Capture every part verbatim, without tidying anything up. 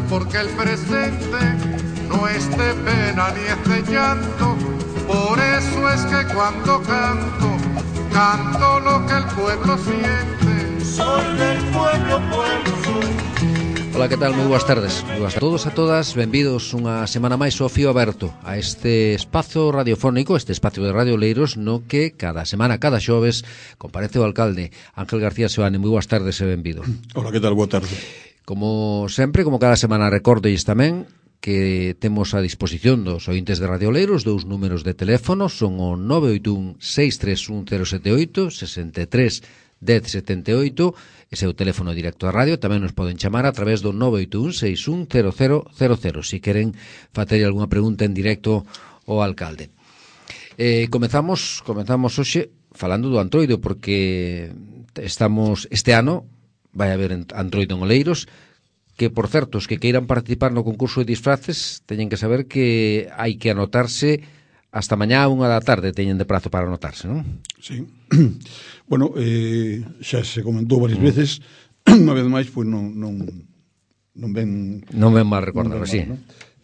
porque el presente no es de pena ni es de llanto. Por eso es que cuando canto, canto lo que el pueblo siente. Soy del pueblo, pueblo soy. Ola, que tal? Moi boas tardes. Moi boas a todos e a todas. Benvidos unha semana máis ao Fío Aberto, a este espazo radiofónico, este espazo de Radio Oleiros, no que cada semana, cada xoves, comparece o alcalde Ángel García Seoane. Moi boas tardes e benvido. Ola, que tal? Boa tarde. Como sempre, como cada semana, recordolles tamén que temos a disposición dos ointes de Radio Oleiros dous números de teléfono, son o nove oito un, seis tres un, cero sete oito, sesenta e tres, dez, setenta e oito, ese é o teléfono directo da radio. Tamén nos poden chamar a través do nove oito un, seis un, cero cero cero cero, se queren facer algunha pregunta en directo ao alcalde. Eh, comezamos, comezamos hoxe falando do Antroido, porque estamos, este ano vai haber Antroido en Oleiros, que, por certo, os que queiran participar no concurso de disfraces teñen que saber que hai que anotarse hasta mañá a unha da tarde, teñen de prazo para anotarse, non? Sí. Bueno, eh, xa se comentou varias mm. veces, unha vez máis, pois non, non, non ven... Non ven mal recordar, sí. ¿no?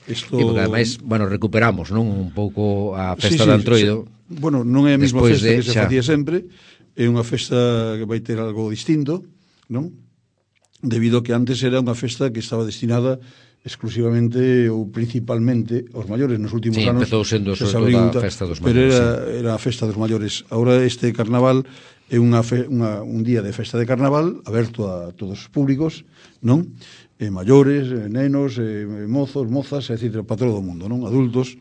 Esto... E porque, ademais, bueno, recuperamos, non, un pouco a festa sí, sí, de Antroido. Sí. Bueno, non é a mesma festa de, que se xa... facía sempre, é unha festa que vai ter algo distinto, non? Debido a que antes era unha festa que estaba destinada exclusivamente ou principalmente aos maiores. Nos últimos sí, anos empezou sendo se sobre abriu, todo a festa dos maiores, pero era, sí. era a festa dos maiores. Ahora este carnaval é unha, fe, unha un día de festa de carnaval aberto a todos os públicos, non? Eh, maiores, eh, nenos, eh, mozos, mozas, etcétera, para todo o mundo, non? Adultos.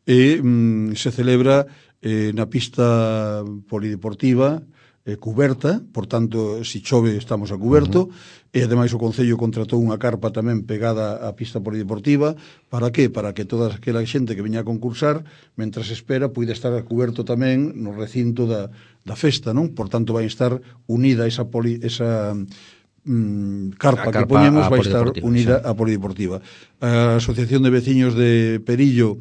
E mm, se celebra eh, na pista polideportiva eh, cuberta, por tanto, se chove estamos a cuberto, uh-huh. E ademais o Concello contratou unha carpa tamén pegada á pista polideportiva. Para que? Para que toda aquela xente que veña a concursar, mentras espera, poida estar a cuberto tamén no recinto da, da festa, non? Por tanto, vai estar unida esa, poli, esa mm, carpa, carpa que poñemos, vai estar unida sí. á polideportiva. A Asociación de Veciños de Perillo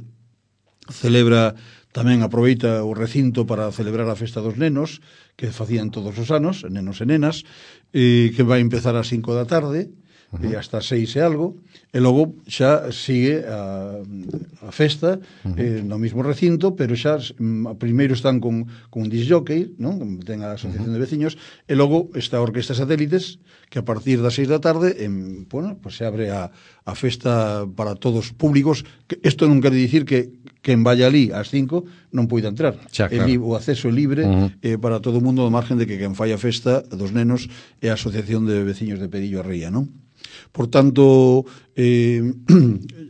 celebra tamén, aproveita o recinto para celebrar a festa dos nenos, que facían todos os anos, nenos e nenas, e que vai empezar ás cinco da tarde, uh-huh. e hasta seis e algo, e logo xa sigue a, a festa uh-huh. eh, no mismo recinto, pero xa mm, primeiro están con, con un disc jockey, non? Ten a Asociación uh-huh. de Veciños, e logo está a Orquesta Satélites, que a partir das seis da tarde en, bueno, pues se abre a, a festa para todos os públicos. Que isto non quere dicir que quen vaya ali ás cinco non poida entrar. Xa, claro. El, o acceso é libre uh-huh. eh, para todo o mundo, ao margen de que quen fai a festa dos nenos é a Asociación de Veciños de Perillo a Ría, non? Por tanto, eh,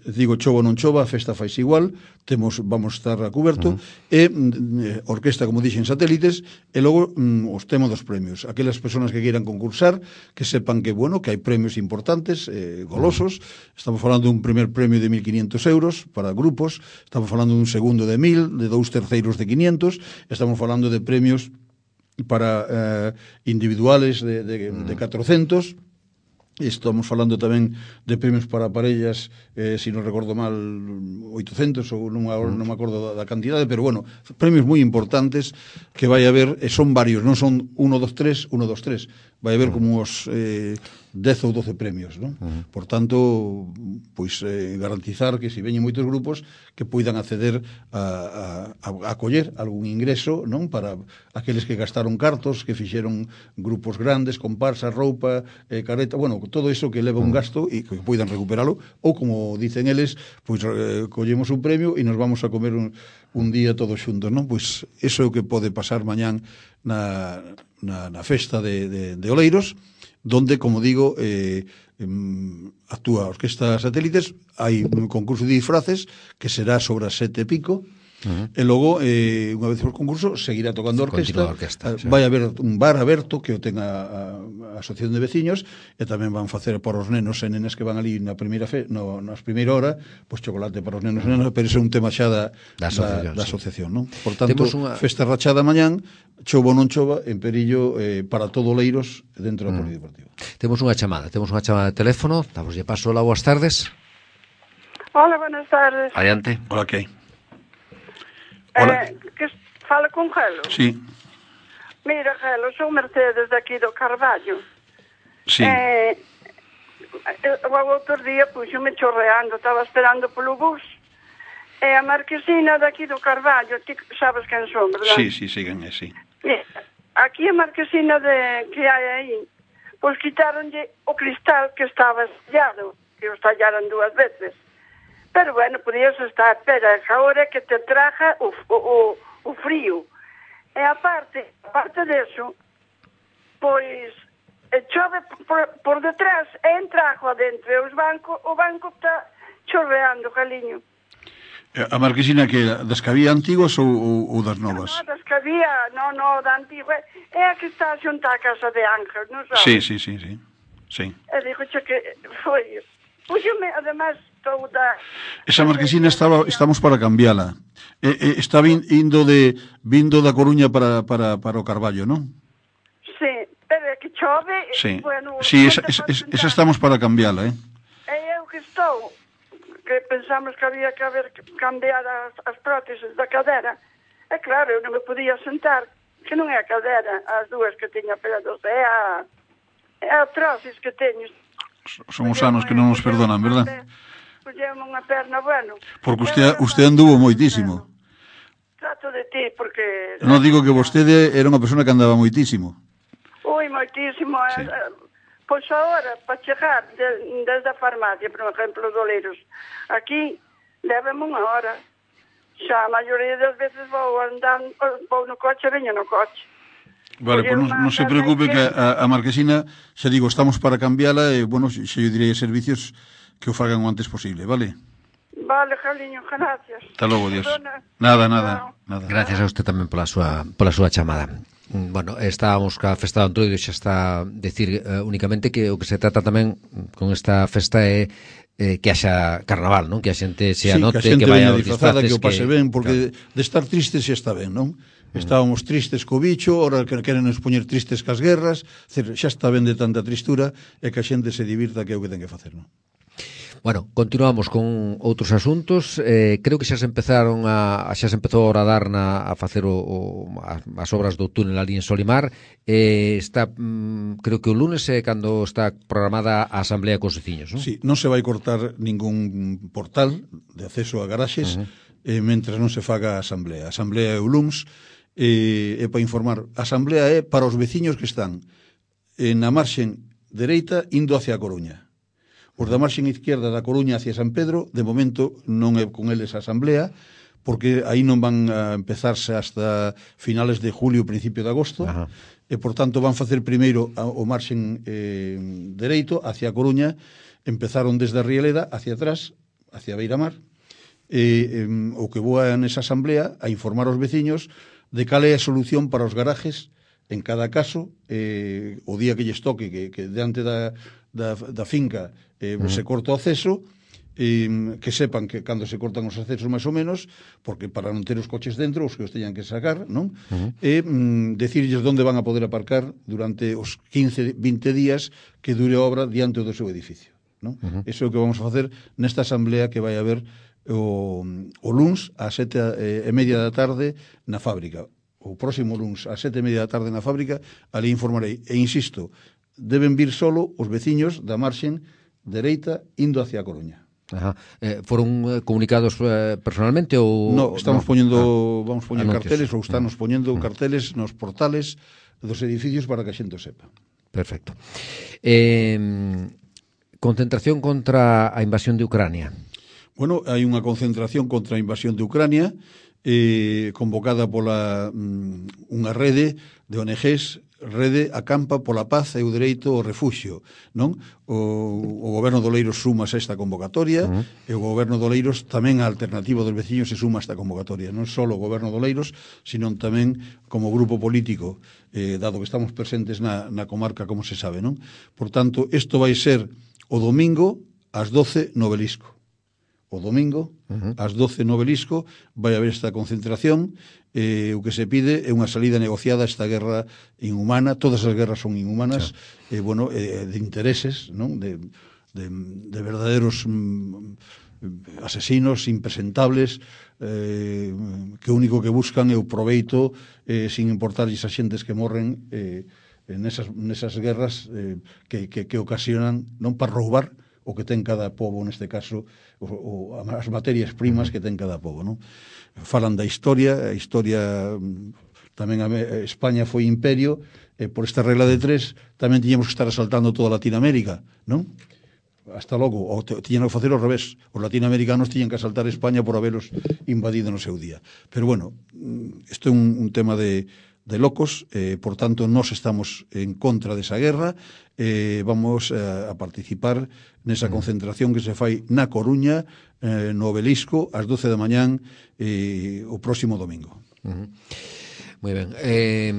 digo, chova ou non chova, a festa faise igual, temos, vamos estar a cuberto, uh-huh. e eh, orquesta, como dixen, Satélites, e logo mm, os temos dos premios. Aquelas persoas que queiran concursar, que sepan que, bueno, que hai premios importantes, eh, golosos. Estamos falando dun primer premio de mil quinientos euros para grupos, estamos falando dun segundo de mil, de dous terceiros de quinientos, estamos falando de premios para eh, individuales de, de, de catrocentos. Estamos falando tamén de premios para parellas, eh, se non recordo mal, oitocentos, ou non, non me acordo da, da cantidade, pero bueno, premios moi importantes que vai haber, e son varios, non son uno, dos, tres, uno, dos, tres, vai haber como os eh, dez ou doce premios, non? Uh-huh. Por tanto, pois eh, garantizar que se veñen moitos grupos que poidan acceder a, a, a coller algún ingreso, non? Para aqueles que gastaron cartos, que fixeron grupos grandes, comparsas, roupa, eh, careta, bueno, todo iso que leva un gasto e que poidan recuperalo, ou como dicen eles, pois eh, collemos un premio e nos vamos a comer un, un día todos xuntos, non? Pois iso é o que pode pasar mañán na, na, na festa de, de, de Oleiros, donde, como digo, eh, actúa a Orquesta Satélites, hai un concurso de disfraces que será sobre as sete e pico. Uh-huh. E logo, eh, unha vez por concurso, seguirá tocando a orquesta, a orquesta sí. Vai haber un bar aberto que o ten a, a, a Asociación de Veciños, e tamén van facer para os nenos e nenas que van ali na primeira fe, no, nas primeira hora, pois chocolate para os nenos e nenas, pero ese é un tema xa da, da asociación, da, da asociación sí. Non? Por tanto, unha... festa rachada mañán, chova ou non chova, en Perillo, eh, para todo Oleiros dentro da mm. polideportiva. Temos unha chamada, temos unha chamada de teléfono, damos de paso. Hola, boas tardes. Hola, buenas tardes. Adiante. Hola, que hai? Hola. Eh, que fala con Gelo? Sí. Mira, Gelo, sou Mercedes de aquí do Carballo. Sí. Eh, o outro día puxome chorreando, estaba esperando polo bus, e a marquesina daqui do Carballo, ti sabes quen son, verdad? Sí, sí, siguen, é, sí. E, aquí a marquesina de, que hai aí, pois quitaronlle o cristal que estaba estallado, que o estallaron dúas veces. Pero bueno, podías estar, pero agora que te traja o, o, o frío. E aparte, aparte deso, pois chove por, por detrás e entra agua dentro e os bancos, o banco está chorreando, Galiño. A marquesina que das que había antigos ou, ou, ou das novas? No, no, das que había, no, no, da antigua. É a que está xunta a casa de Ángel, non sabes? Sí, sí, sí, sí. sí. E digo che que foi... Puxome, además, toda... Esa marquesina estaba, estamos para cambiala. E, e, está vin, indo de vindo da Coruña para, para, para o Carballo, non? Sí, pero é que chove... Sí, bueno, sí esa, esa, esa estamos para cambiala, eh? E eu que estou, que pensamos que había que haber cambiar as, as próteses da cadera. E claro, eu non me podía sentar, que non é a cadera, as dúas que tiña pegados, é a, é a trosis que teño. Son os anos que non nos perdonan, verdad? Puxemos unha perna, bueno. Porque usted, usted anduvo moitísimo. Trato de ti, porque... Non digo que vostede era unha persona que andaba moitísimo. Ui, moitísimo. Sí. Eh, pois agora, para chegar de, desde a farmacia, por exemplo, os Oleiros, aquí, levame unha hora. Xa a maioría das veces vou andando, vou no coche, veño no coche. Vale, pois pues non, non se preocupe que a, a marquesina, xa digo, estamos para cambiala e, bueno, xa eu direi a servicios que o fagan o antes posible, vale? Vale, Jaliño, gracias. Hasta logo, Dios. Nada, nada, nada. Gracias a usted tamén pola súa, pola súa chamada. Bueno, estábamos ca festa do Antroido, xa está decir uh, únicamente que o que se trata tamén con esta festa é eh, que haxa carnaval, non? Que a xente se anote, sí, que, a xente que vaya aos disfraces, que o pase que... ben, porque claro. de estar tristes xa está ben, non? Estábamos tristes co bicho, ora que queren nos poñer tristes cas guerras, xa está ben de tanta tristura e que a xente se divirta, que é o que ten que facer, non? Bueno, continuamos con outros asuntos. Eh, creo que xa se empezaron a xa se empezou a horadar na a facer o, o as obras do túnel ali en Solimar. Eh, está mm, creo que o lunes é cando está programada a asamblea cos veciños, non? Sí, non se vai cortar ningún portal de acceso a garaxes uh -huh. eh, mentras non se faga a asamblea. A asamblea é o lunes. E, e para informar, a asamblea é para os veciños que están na marxen dereita indo hacia a Coruña. Os da marxen izquierda da Coruña hacia San Pedro, de momento non é con eles a asamblea, porque aí non van a empezarse hasta finales de julio, principio de agosto. Ajá. E, por tanto, van facer primeiro o marxen eh, dereito hacia a Coruña, empezaron desde a Rieleda hacia atrás, hacia Beiramar, e eh, o que voa nesa asamblea a informar aos veciños de cal é a solución para os garajes en cada caso, eh, o día que lles toque que, que diante da, da, da finca eh, uh -huh. se corta o acceso, eh, que sepan que cando se cortan os accesos máis ou menos, porque para non ter os coches dentro, os que os teñan que sacar, non? Uh -huh. E mm, decirlles onde van a poder aparcar durante os quince, vinte días que dure a obra diante do seu edificio, non? Uh -huh. Eso é o que vamos a facer nesta asamblea que vai haber o, o luns a sete e media da tarde na fábrica. O próximo luns a sete e media da tarde na fábrica, ali informarei. E insisto, deben vir solo os veciños da marxen dereita indo hacia a Coruña. Ajá. Eh, foron comunicados eh, personalmente ou no, estamos no? poñendo ah, vamos poñer anuncios. Carteles ou estamos poñendo uh -huh. carteles nos portales dos edificios para que a xente o sepa. Perfecto. Eh, concentración contra a invasión de Ucrania. Bueno, hai unha concentración contra a invasión de Ucrania eh, convocada pola um, unha rede de O N Ges, Rede Acampa pola Paz e o Dereito ao Refuxio, non? O, o Goberno de Oleiros suma a esta convocatoria uh -huh. e o Goberno de Oleiros tamén a alternativa dos veciños se suma a esta convocatoria, non só o Goberno de Oleiros, sino tamén como grupo político, eh, dado que estamos presentes na, na comarca, como se sabe, non? Por tanto, isto vai ser o domingo ás doce no Obelisco. O domingo, uh -huh. ás doce no Obelisco, vai haber esta concentración. Eh, o que se pide é unha salida negociada a esta guerra inhumana. Todas as guerras son inhumanas, sí. eh, bueno, eh, de intereses, non? De, de, de verdaderos mm, asesinos impresentables eh, que o único que buscan é o proveito eh, sin importar esas xentes que morren eh, nesas, nesas guerras eh, que, que, que ocasionan non para roubar o que ten cada pobo, neste caso, o, o, as materias primas que ten cada pobo, non? Falan da historia, a historia tamén a España foi imperio, e por esta regla de tres tamén tiñamos que estar asaltando toda Latinoamérica, non? Hasta logo, ou tiñan que facer ao revés, os latinoamericanos tiñan que asaltar España por haberos invadido no seu día. Pero bueno, isto é un, un tema de de locos, eh, por tanto, nós estamos en contra desa guerra, eh, vamos a, a participar nesa concentración que se fai na Coruña, eh, no Obelisco, ás doce da mañán, eh, o próximo domingo. Uh-huh. Moi ben. Eh,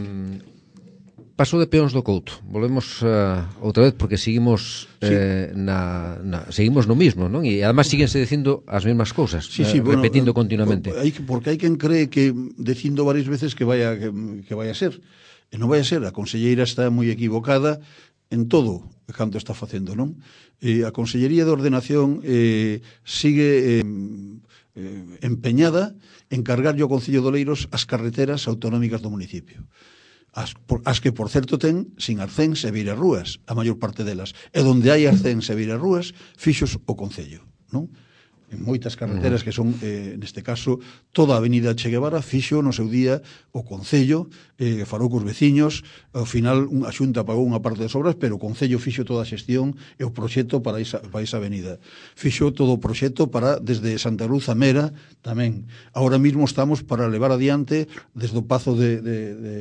paso de Peóns do Couto. Volvemos uh, outra vez porque seguimos eh, sí. na, na, seguimos no mismo, non? E además síguense dicindo as mesmas cousas, sí, sí, eh, bueno, repetindo eh, continuamente. Hay, porque hai quen cree que dicindo varias veces que vaya que, que vaya a ser. E non vai a ser, a conselleira está moi equivocada en todo canto está facendo, non? E a Consellería de Ordenación eh, sigue eh, eh, empeñada en cargarlle ao Concello de Oleiros as carreteras autonómicas do municipio. As, por, as que, por certo, ten sin arcéns e beirarrúas, a maior parte delas. E donde hai arcéns e beirarrúas, fixos o Concello, non? En moitas carreteras que son, eh, neste caso, toda a avenida Che Guevara fixo no seu día o Concello, eh, farou cos veciños, ao final a Xunta pagou unha parte das obras, pero o Concello fixo toda a xestión e o proxecto para esa, para esa avenida. Fixo todo o proxecto para, desde Santa Luz a Mera, tamén. Ahora mismo estamos para levar adiante desde o Pazo de, de, de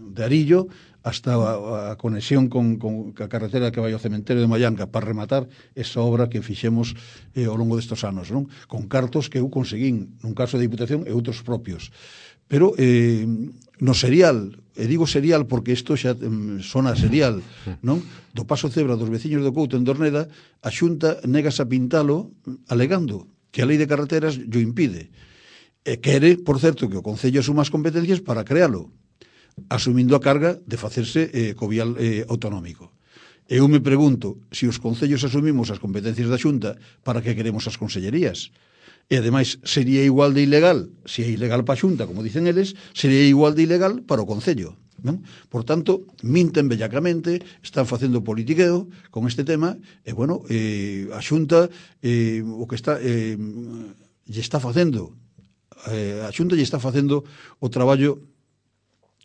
de Arillo hasta a, a conexión con, con a carretera que vai ao cementerio de Mallanca para rematar esa obra que fixemos eh, ao longo destes anos, non? Con cartos que eu conseguín nun caso de Diputación e outros propios. Pero eh, no serial, e digo serial porque isto xa eh, sona serial, non? Do paso cebra dos veciños do Couto en Dorneda, a Xunta negas a pintalo alegando que a lei de carreteras llo impide. E quere, por certo, que o Concello asuma as competencias para crealo, asumindo a carga de facerse eh, co vial eh, autonómico. Eu me pregunto, se os concellos asumimos as competencias da Xunta, para que queremos as consellerías? E, ademais, sería igual de ilegal, se é ilegal para a Xunta, como dicen eles, sería igual de ilegal para o Concello. Non? Por tanto, minten bellacamente, están facendo politiqueo con este tema, e, bueno, eh, a Xunta eh, o que está eh, lle está facendo eh, a Xunta lle está facendo o traballo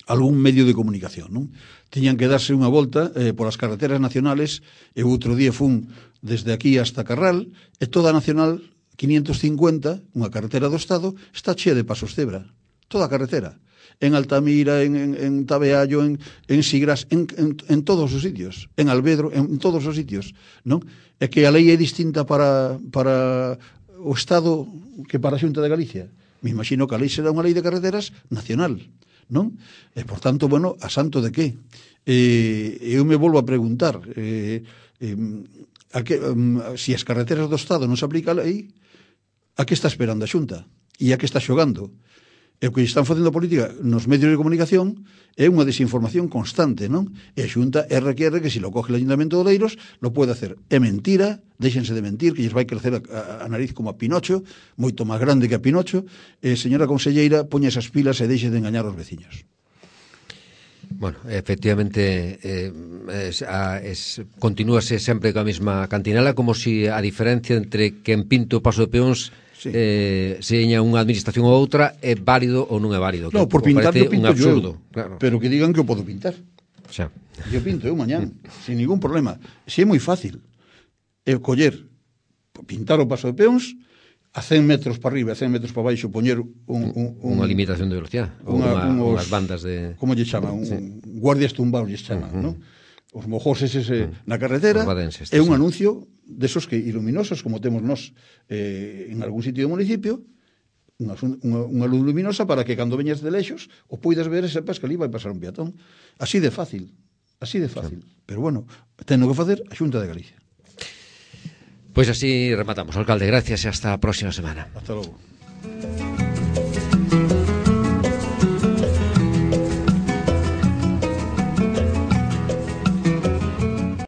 algún medio de comunicación, non? Tiñan que darse unha volta eh, por as carreteras nacionales, e outro día fun desde aquí hasta Carral, e toda a Nacional quinientos cincuenta, unha carretera do Estado, está chea de pasos cebra. Toda a carretera. En Altamira, en, en, en Tabeallo, en, en Sigras, en, en, en todos os sitios. En Albedro, en todos os sitios, non? É que a lei é distinta para, para o Estado que para a Xunta de Galicia. Me imagino que a lei será unha lei de carreteras nacional, non? E, por tanto, bueno, a santo de que? Eh, eu me volvo a preguntar eh, eh, a que, um, si as carreteras do Estado non se aplica a lei, a que está esperando a Xunta? E a que está xogando? E o que están facendo política nos medios de comunicación é unha desinformación constante, non? E a Xunta R que R que se lo coge o Ayuntamiento de Oleiros lo pode hacer. É mentira, déxense de mentir, que lles vai crecer a, a, a nariz como a Pinocho, moito máis grande que a Pinocho, e, señora conselleira, poña esas pilas e deixe de engañar aos veciños. Bueno, efectivamente eh, es, a, es, continúase sempre coa mesma cantinela, como si a diferencia entre que en Pinto o paso de peóns sí. eh, seña unha administración ou outra é válido ou non é válido. No, por pintar yo pinto un absurdo, yo, claro. Pero que digan que o podo pintar. Xa. Yo pinto eu mañán, sin ningún problema. Si é moi fácil é coller, pintar o paso de peóns a cen metros para arriba, a cen metros para baixo, poñer un, un, un, unha limitación de velocidade, unha, unha, unhas bandas de... Como lle chama? Un, sí. Guardias tumbados lle chama, uh -huh. non? Os mojoses ese uh -huh. na carretera, é un anuncio desos que iluminosos, como temos nós eh, en algún sitio do municipio, unha, unha, unha luz luminosa para que cando veñas de lexos o poidas ver e sepas que ali vai pasar un peatón. Así de fácil, así de fácil. Sí. Pero bueno, ten que facer a Xunta de Galicia. Pois así rematamos, alcalde, gracias e hasta a próxima semana. Hasta logo.